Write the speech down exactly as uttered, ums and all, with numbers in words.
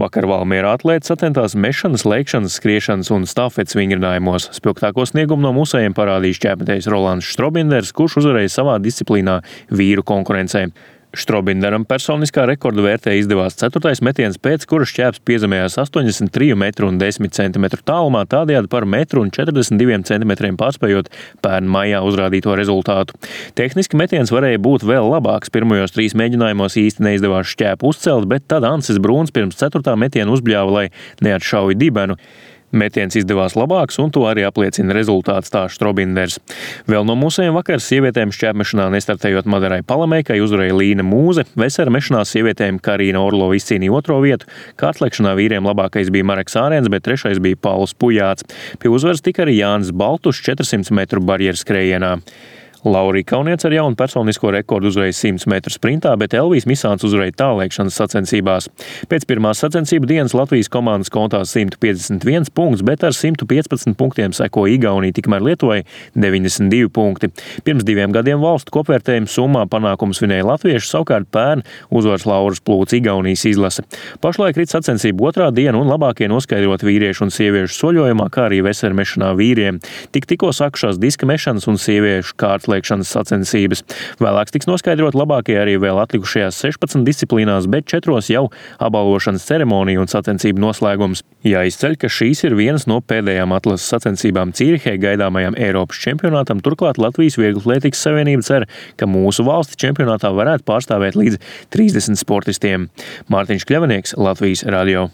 Vakar Valmierā atlēti sacentās mešanas, lēkšanas, skriešanas un stafetes vingrinājumos. Spilgtāko sniegumu no mūsējiem parādīja šķēpmetējs Rolands Štrobinders, kurš uzvarēja savā disciplīnā vīru konkurencē. Štrobinderam personiskā rekorda vērtē izdevās ceturtais metiens, pēc kura šķēps piezemējās astoņdesmit trīs metru un desmit centimetru tālumā, tādējādi par metru un četrdesmit diviem centimetriem pārspējot pērn maijā uzrādīto rezultātu. Tehniski metiens varēja būt vēl labāks. Pirmajos trīs mēģinājumos īsti neizdevās šķēpu uzcelt, bet tad Ansis Brūns pirms ceturtā metiena uzbļāva, lai neatšauj dibenu. Metiens izdevās labāks, un to arī apliecina rezultāts, tā Štrobinders. Vēl no mūsējiem vakar sievietēm šķēpmešanā nestartējot Madarai Palameikai uzvarēja Līna Mūze, vesera mešanā sievietēm Karīna Orlova izcīnīja otro vietu, kārtlekšanā vīriem labākais bija Mareks Ārēns, bet trešais bija Pauls Pujāts. Pie uzvaras tika arī Jānis Baltušs četrsimt metru barjeras skrējienā. Laurija Kauniec ar jaunu personisko rekordu uzvarēja simt metru sprintā, bet Elvijs Misāns uzvarēja tālēkšanas sacensībās. Pēc pirmās sacensību dienas Latvijas komandas kontā simt piecdesmit viens punkts, bet ar simt piecpadsmit punktiem seko Igaunija, tikmēr Lietuvai deviņdesmit divi punkti. Pirms diviem gadiem valstu kopvērtējuma summā panākumus svinēja latvieši, savukārt pērn uzvaras lauras plūca Igaunijas izlase. Pašlaik rit sacensību otrā diena un labākie noskaidrot vīriešu un sieviešu soļojumā, kā arī vesera mešanā vīriem. Tik tikko sākušās diska mešanas un sieviešu kārtas lēkšanas sacensības. Vēlāk tiks noskaidrot labākie arī vēl atlikušajās sešpadsmit disciplīnās, bet četros jau apbalvošanas ceremonija un sacensību noslēgums. Jāizceļ, ka šīs ir vienas no pēdējām atlases sacensībām Cīrihē gaidāmajam Eiropas čempionātam. Turklāt Latvijas Vieglatlētikas savienība cer, ka mūsu valsti čempionātā varētu pārstāvēt līdz trīsdesmit sportistiem. Mārtiņš Kļavinieks, Latvijas radio.